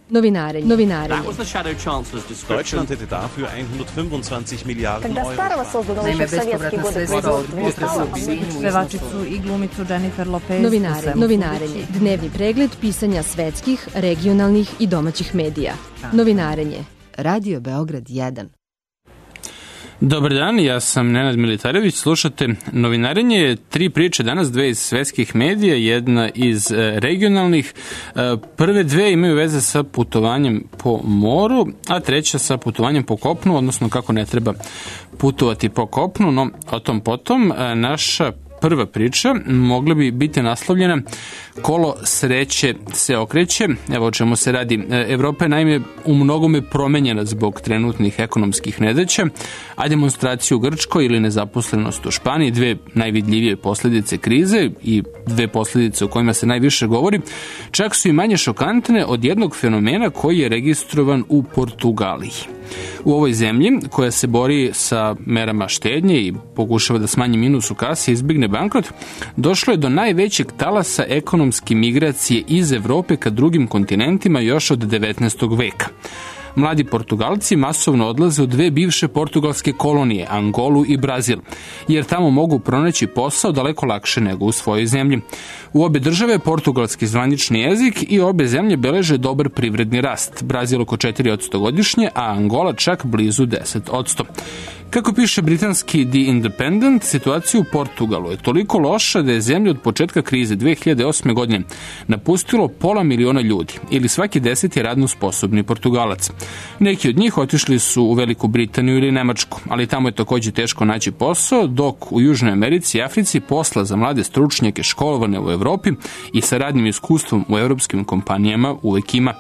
Novinarenje. Deutschland hätte dafür 125 Milijarden Euro. Naime, bespovratna sredstva od potresa u Sinju. Pevačicu i glumicu Jennifer Lopez. Novinarenje. Dnevni pregled pisanja svetskih, regionalnih i domaćih medija. Novinarenje. Radio Beograd 1. Dobar dan, ja sam Nenad Militarević, slušate Novinarenje, 3 priče danas, 2 iz svetskih medija, jedna iz regionalnih. Prve 2 imaju veze sa putovanjem po moru, a treća sa putovanjem po kopnu, odnosno kako ne treba putovati po kopnu, no o tom potom. Naša prva priča mogla bi biti naslovljena Kolo sreće se okreće. Evo o čemu se radi. Evropa je naime u mnogome promenjena zbog trenutnih ekonomskih nedaća, a demonstracije u Grčkoj ili nezaposlenost u Španiji, 2 najvidljivije posledice krize i 2 posledice o kojima se najviše govori, čak su i manje šokantne od jednog fenomena koji je registrovan u Portugaliji. U ovoj zemlji, koja se bori sa merama štednje i pokušava da smanji minus u kasi i izbigne bankrot, došlo je do najvećeg talasa ekonomske migracije iz Evrope ka drugim kontinentima još od 19. veka. Mladi Portugalci masovno odlaze u 2 bivše portugalske kolonije, Angolu i Brazil, jer tamo mogu pronaći posao daleko lakše nego u svojoj zemlji. U obe države je portugalski zvanični jezik i obe zemlje beleže dobar privredni rast, Brazil oko 4% godišnje, a Angola čak blizu 10%. Kako piše britanski The Independent, situacija u Portugalu je toliko loša da je zemlja od početka krize 2008. godine napustilo 500.000 ljudi, ili svaki 10. radno sposobni Portugalac. Neki od njih otišli su u Veliku Britaniju ili Nemačku, ali tamo je takođe teško naći posao, dok u Južnoj Americi i Africi posla za mlade stručnjake školovane u Evropi i sa radnim iskustvom u evropskim kompanijama uvek ima.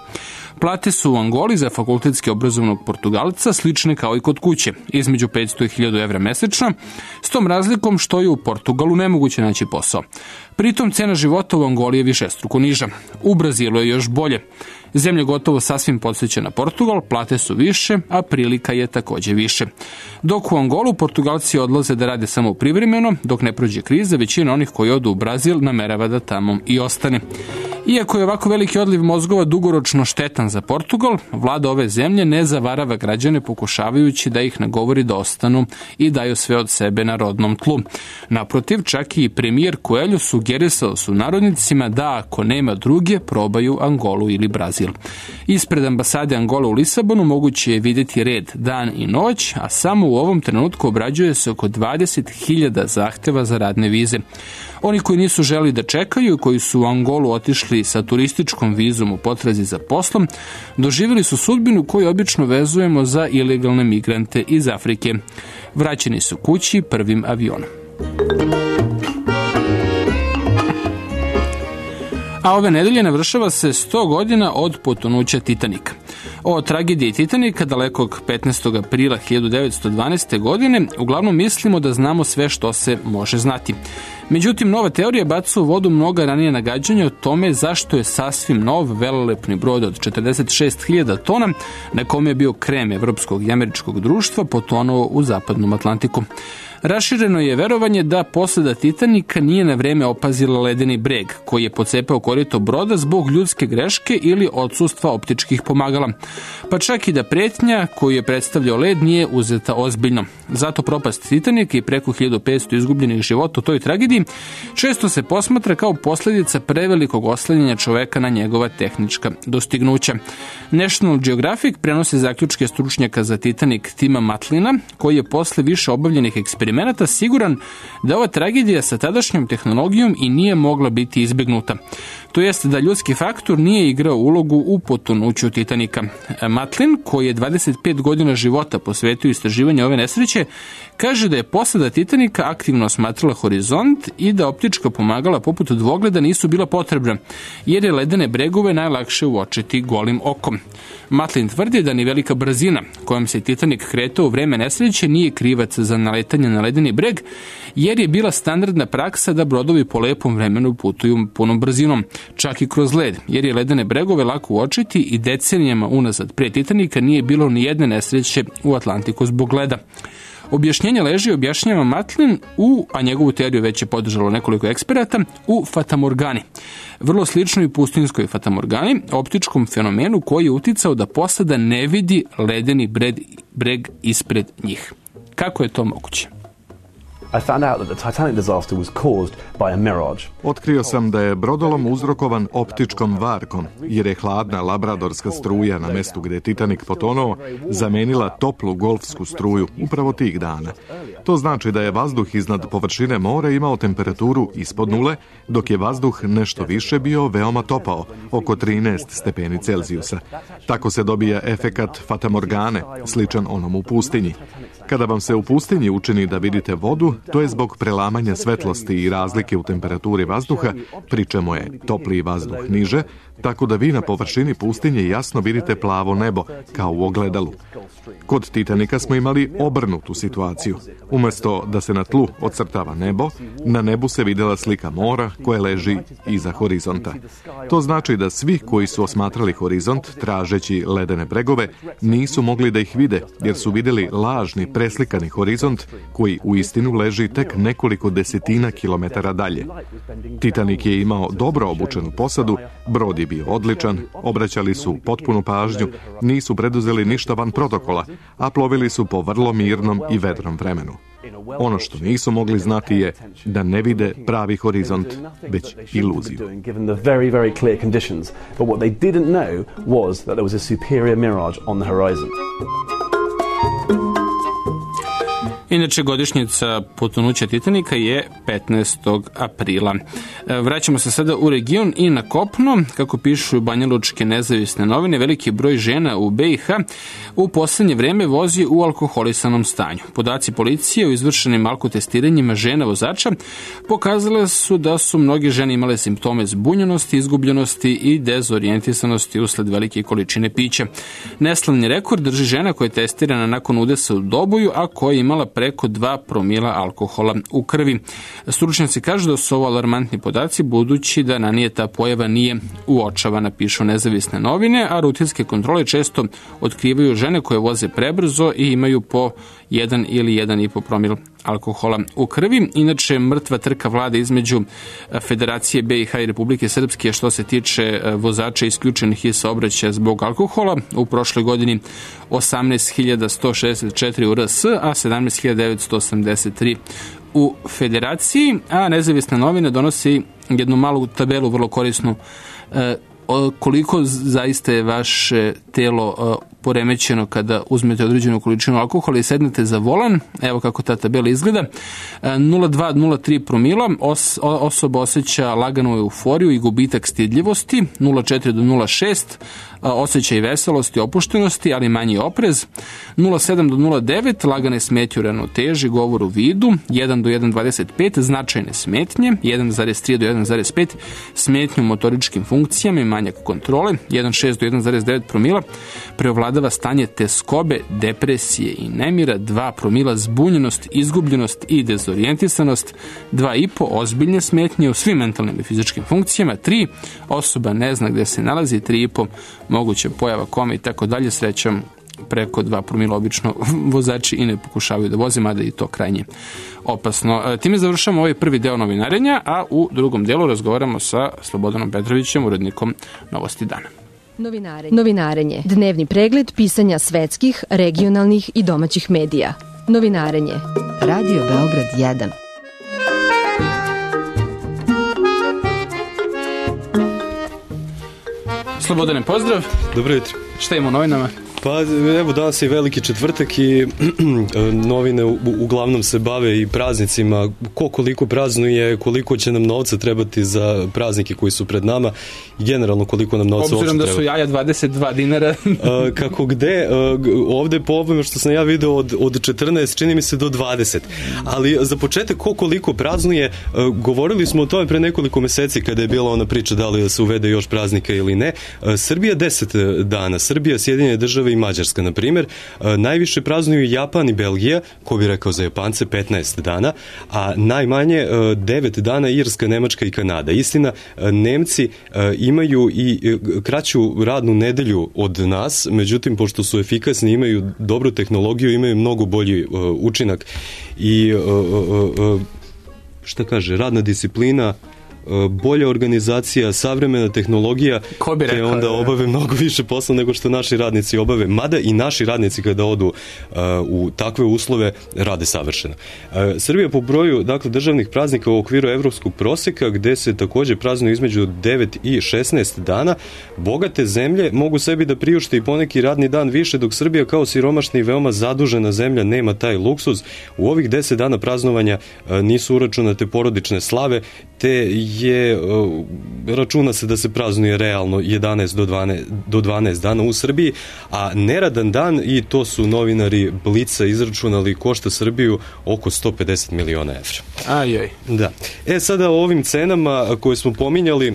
Plate su u Angoli za fakultetski obrazovnog Portugalca slične kao i kod kuće, između 500 i 1000 evra mesečno, s tom razlikom što je u Portugalu nemoguće naći posao. Pritom cena života u Angoli je višestruko niža. U Brazilu je još bolje. Zemlja gotovo sasvim podsjeća na Portugal, plate su više, a prilika je takođe više. Dok u Angolu Portugalci odlaze da rade samo privremeno, dok ne prođe kriza, većina onih koji odu u Brazil namerava da tamo i ostane. Iako je ovako veliki odliv mozgova dugoročno štetan za Portugal, vlada ove zemlje ne zavarava građane pokušavajući da ih nagovori da ostanu i daju sve od sebe na rodnom tlu. Naprotiv, čak i premijer Coelho sugerisao su narodnicima da ako nema druge, probaju Angolu ili Brazil. Ispred ambasade Angole u Lisabonu moguće je vidjeti red dan i noć, a samo u ovom trenutku obrađuje se oko 20.000 zahteva za radne vize. Oni koji nisu želi da čekaju i koji su u Angolu otišli sa turističkom vizom u potrazi za poslom, doživjeli su sudbinu koju obično vezujemo za ilegalne migrante iz Afrike. Vraćeni su kući prvim avionom. A ove nedelje navršava se 100 godina od potonuća Titanika. O tragediji Titanika, dalekog 15. aprila 1912. godine, uglavnom mislimo da znamo sve što se može znati. Međutim, nova teorija baca u vodu mnoga ranije nagađanja o tome zašto je sasvim nov velelepni brod od 46.000 tona, na kome je bio krem evropskog i američkog društva, potonuo u zapadnom Atlantiku. Rašireno je verovanje da posada Titanika nije na vreme opazila ledeni breg, koji je pocepao korito broda zbog ljudske greške ili odsustva optičkih pomagala. Pa čak i da pretnja koju je predstavljao led nije uzeta ozbiljno. Zato propast Titanika i preko 1500 izgubljenih života u toj tragediji često se posmatra kao posljedica prevelikog oslanjanja čoveka na njegova tehnička dostignuća. National Geographic prenosi zaključke stručnjaka za Titanik Tima Matlina, koji je posle više obavljenih eksperimenata siguran da ova tragedija sa tadašnjom tehnologijom i nije mogla biti izbjegnuta. To jest da ljudski faktor nije igrao ulogu u potonuću Titanika. Matlin, koji je 25 godina života posvetio istraživanju ove nesreće, kaže da je posada Titanika aktivno osmatrala horizont i da optička pomagala poput dvogleda nisu bila potrebna, jer je ledene bregove najlakše uočiti golim okom. Matlin tvrdi da ni velika brzina kojom se Titanik kretao u vreme nesreće nije krivac za naletanje na ledeni breg, jer je bila standardna praksa da brodovi po lepom vremenu putuju punom brzinom, čak i kroz led, jer je ledene bregove lako uočiti i decenijama unazad pre Titanika nije bilo ni jedne nesreće u Atlantiku zbog leda. Objašnjenje leži, objašnjava Matlin a njegovu teoriju već je podržalo nekoliko eksperata, u fatamorgani. Vrlo slično i pustinskoj fatamorgani, optičkom fenomenu koji je uticao da posada ne vidi ledeni breg ispred njih. Kako je to moguće? Otkrio sam da je brodolom uzrokovan optičkom varkom, jer je hladna labradorska struja na mestu gdje je Titanic potonuo zamenila toplu golfsku struju upravo tih dana. To znači da je vazduh iznad površine mora imao temperaturu ispod nule, dok je vazduh nešto više bio veoma topao, oko 13 stepeni Celzijusa. Tako se dobija efekat fatamorgane, sličan onom u pustinji. Kada vam se u pustinji učini da vidite vodu, to je zbog prelamanja svetlosti i razlike u temperaturi vazduha, pri čemu je topliji vazduh niže, tako da vi na površini pustinje jasno vidite plavo nebo, kao u ogledalu. Kod Titanika smo imali obrnutu situaciju. Umjesto da se na tlu ocrtava nebo, na nebu se vidjela slika mora koje leži iza horizonta. To znači da svi koji su osmatrali horizont, tražeći ledene bregove, nisu mogli da ih vide, jer su vidjeli lažni preslikani horizont koji u istinu leži tek nekoliko desetina kilometara dalje. Titanik je imao dobro obučenu posadu, brod je bio odličan, obraćali su potpunu pažnju, nisu preduzeli ništa van protokola, a plovili su po vrlo mirnom i vedrom vremenu. Ono što nisu mogli znati je da ne vide pravi horizont, već iluziju. Inače, godišnjica potonuća Titanika je 15. aprila. Vraćamo se sada u region i na kopno. Kako pišu banjalučke nezavisne novine, veliki broj žena u BiH u posljednje vreme vozi u alkoholisanom stanju. Podaci policije o izvršenim alkotestiranjima žena vozača pokazale su da su mnoge žene imale simptome zbunjenosti, izgubljenosti i dezorijentisanosti usled velike količine pića. Neslavni rekord drži žena koja je testirana nakon udesa u Doboju, a koja je imala preko 2 promila alkohola u krvi. Stručnjaci kažu da su ovo alarmantni podaci, budući da ranije ta pojava nije uočavana, pišu nezavisne novine, a rutinske kontrole često otkrivaju žene koje voze prebrzo i imaju po 1 ili 1,5 promil alkohola u krvi. Inače, mrtva trka vlade između Federacije BiH i Republike Srpske što se tiče vozača isključenih iz saobraćaja zbog alkohola. U prošloj godini 18.164 u RS, a 17.983 u Federaciji, a nezavisna novina donosi jednu malu tabelu, vrlo korisnu, koliko zaista je vaše telo poremećeno kada uzmete određenu količinu alkohola i sednete za volan. Evo kako ta tabela izgleda. 0,2-0,3 promila osoba osjeća laganu euforiju i gubitak stidljivosti. 0,4 do 0,6 osjećaj veselosti, opuštenosti, ali manji oprez. 0,7 do 0,9 lagane smetnje u ravnoteži, govor u vidu. 1 do 1,25 značajne smetnje. 1,3 do 1,5 smetnje u motoričkim funkcijama i manjak kontrole. 1,6 do 1,9 promila preovladava stanje teskobe, depresije i nemira. 2 promila zbunjenost, izgubljenost i dezorijentisanost. 2,5 ozbiljne smetnje u svim mentalnim i fizičkim funkcijama. 3 osoba ne zna gde se nalazi. 3,5 moguće pojava kome i tako dalje. Srećom, preko 2 promila obično vozači i ne pokušavaju da voze, mada i to krajnje opasno. Time završamo ovaj prvi deo novinarenja, a u drugom delu razgovaramo sa Slobodanom Petrovićem, urednikom Novosti dana. Novinarenje. Dnevni pregled pisanja svetskih, regionalnih i domaćih medija. Novinarenje. Radio Beograd 1. Slobodane, pozdrav. Dobro jutro. Šta imamo u novinama? Pa evo, danas je veliki četvrtak i novine uglavnom se bave i praznicima, koliko praznuje, koliko će nam novca trebati za praznike koji su pred nama i generalno koliko nam novca obzirom da su jaja 22 dinara. Kako gde, ovde po ovome što sam ja video od 14 čini mi se do 20, ali za početak koliko praznuje, govorili smo o tome pre nekoliko meseci kada je bila ona priča da li se uvede još praznika ili ne. Srbija 10 dana, Srbija, Sjedinjene Države i i Mađarska, na primjer. Najviše praznuju Japan i Belgija, ko bi rekao za Japance, 15 dana, a najmanje 9 dana Irska, Nemačka i Kanada. Istina, Nemci imaju i kraću radnu nedelju od nas, međutim, pošto su efikasni, imaju dobru tehnologiju, imaju mnogo bolji učinak i radna disciplina, bolja organizacija, savremena tehnologija, te onda obave mnogo više posla nego što naši radnici obave. Mada i naši radnici kada odu u takve uslove rade savršeno. Srbija po broju državnih praznika u okviru evropskog proseka, gde se takođe praznuju između 9 i 16 dana, bogate zemlje mogu sebi da priušte i poneki radni dan više, dok Srbija kao siromašna i veoma zadužena zemlja nema taj luksuz. U ovih 10 dana praznovanja nisu uračunate porodične slave, te računa se da se praznuje realno 11 do 12 dana u Srbiji, a neradan dan, i to su novinari Blica izračunali, košta Srbiju oko 150 miliona evra. Ajaj. Da. Sada o ovim cenama koje smo pominjali,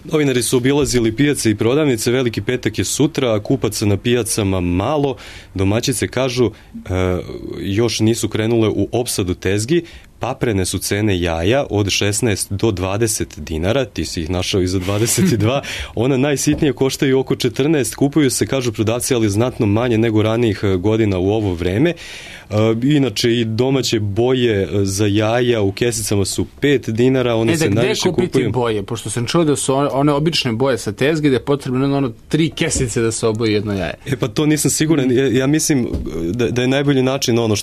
novinari su obilazili pijace i prodavnice, Veliki petak je sutra, kupaca na pijacama malo, domaćice kažu još nisu krenule u opsadu tezgi, paprene su cene jaja od 16 do 20 dinara, ti si ih našao i za 22, ona najsitnije koštaju oko 14, kupuju se, kažu prodavci, ali znatno manje nego ranijih godina u ovo vreme. Inače i domaće boje za jaja u kesicama su 5 dinara, one se najviše kupuju. Gde kupiti boje? Pošto sam čuo da su one obične boje sa tezge, da je potrebno 3 kesice da se oboji jedno jaje. Pa to nisam siguran. Ja mislim da je najbolji način ono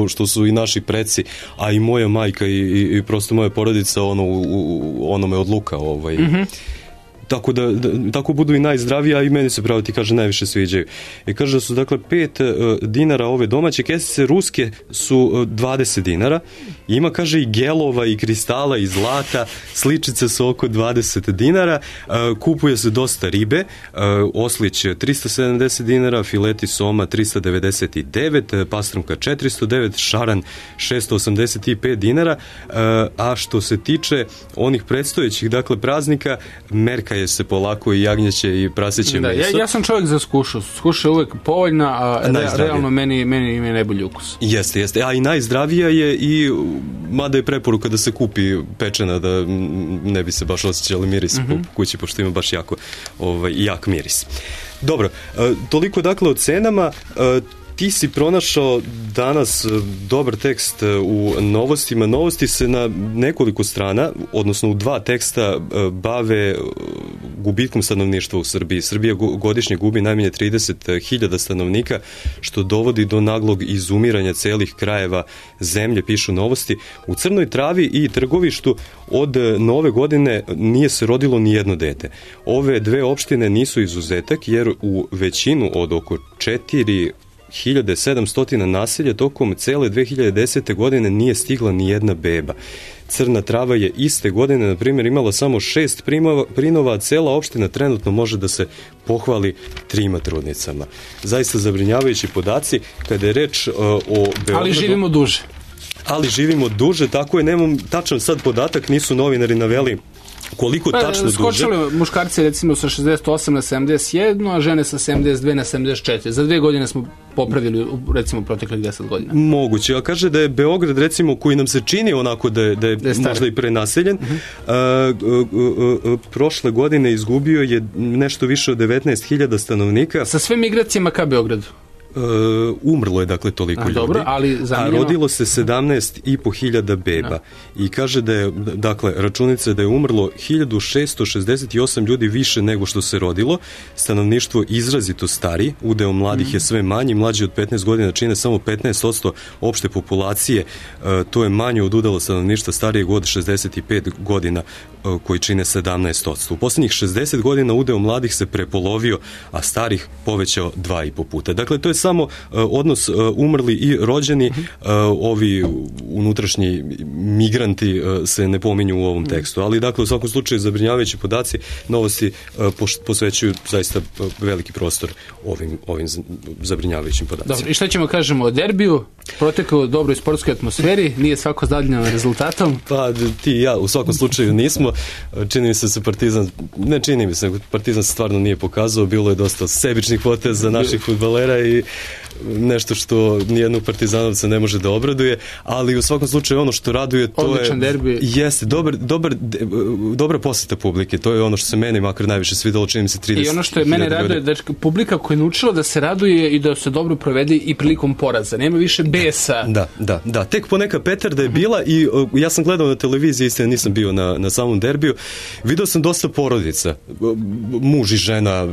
što su i naši preci, a i moja majka i prosto moja porodica onome od luka. Tako budu i najzdraviji, a i meni se pravo ti kaže najviše sviđaju. I kaže da su 5 dinara ove domaće kesice, ruske su 20 dinara. Ima, kaže, i gelova i kristala i zlata, sličice su oko 20 dinara, kupuje se dosta ribe, oslić 370 dinara, fileti soma 399, pastrumka 409, šaran 685 dinara, a što se tiče onih predstojećih praznika, merka je se polako i jagnjeće i praseće meso. Ja sam čovjek za skušu. Skuša je uvek povoljna, a realno meni ima najbolji ukus. Jeste. A i najzdravija je, i mada je preporuka da se kupi pečena, da ne bi se baš osjećali miris po kući, pošto ima baš jak miris. Dobro, toliko o cenama. Ti si pronašao danas dobar tekst u novostima. Novosti se na nekoliko strana, odnosno u 2 teksta, bave gubitkom stanovništva u Srbiji. Srbija godišnje gubi najmanje 30.000 stanovnika, što dovodi do naglog izumiranja celih krajeva zemlje, pišu Novosti. U Crnoj Travi i Trgovištu od nove godine nije se rodilo ni jedno dete. Ove 2 opštine nisu izuzetak, jer u većinu od oko 4.700 naselja tokom cele 2010. godine nije stigla ni jedna beba. Crna Trava je iste godine, na primjer, imala samo 6 prinova, a cela opština trenutno može da se pohvali 3 trudnicama. Zaista zabrinjavajući podaci kada je reč o Beogradu. Ali živimo duže. Tako je, nemam tačan sad podatak, nisu novinari naveli koliko tačno duže. Skočili muškarci recimo sa 68 na 71, a žene sa 72 na 74. Za 2 godine smo popravili, recimo, proteklih 10 godina. Moguće, a kaže da je Beograd, recimo, koji nam se čini onako da je možda i prenaseljen, prošle godine izgubio je nešto više od 19.000 stanovnika. Sa sve migracijama ka Beogradu? Umrlo je toliko ljudi, dobro, ali a rodilo se 17.500 beba. I kaže da je, računica da je umrlo 1668 ljudi više nego što se rodilo. Stanovništvo izrazito stari, udeo mladih je sve manji, mlađi od 15 godina čine samo 15% opšte populacije, to je manje od udela stanovništva starijeg od 65 godina koji čine 17%. U posljednjih 60 godina udeo mladih se prepolovio, a starih povećao 2,5 puta. Dakle, to je samo odnos umrli i rođeni, ovi unutrašnji migranti se ne pominju u ovom tekstu. Ali dakle, u svakom slučaju zabrinjavajući podaci, novosti posvećuju zaista veliki prostor ovim zabrinjavajućim podacima. Dobro, i šta ćemo kažemo o derbiju? Protekao u dobroj sportskoj atmosferi, nije svako zadovoljan rezultatom? Pa ti i ja u svakom slučaju nismo. Čini mi se Partizan se stvarno nije pokazao, bilo je dosta sebičnih poteza naših fudbalera i nešto što nijednog partizanovca ne može da obraduje, ali u svakom slučaju ono što raduje, to odličan derbi. Jeste, dobra poseta publike, to je ono što se meni makar najviše svidelo, čini mi se 30. I ono što je mene raduje, da publika koja je naučila da se raduje i da se dobro provede i prilikom poraza, nema više besa. Da, tek poneka petarda je bila i ja sam gledao na televiziji, istina nisam bio na samom derbiju, video sam dosta porodica, muž i žena,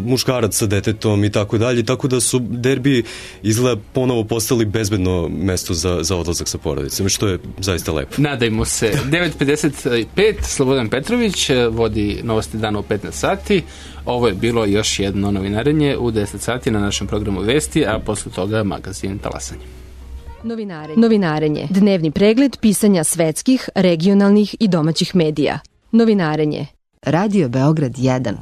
muškarac sa detetom i tako dalje, tako da su derbi izgleda ponovo postali bezbedno mesto za odlazak sa porodicom, što je zaista lepo. Nadajmo se. 9:55, Slobodan Petrović vodi Novosti dana u 15 sati. Ovo je bilo još jedno novinarenje u 10 sati na našem programu Vesti, a posle toga magazin Talasanje. Novinarenje. Dnevni pregled pisanja svetskih, regionalnih i domaćih medija. Novinarenje. Radio Beograd 1.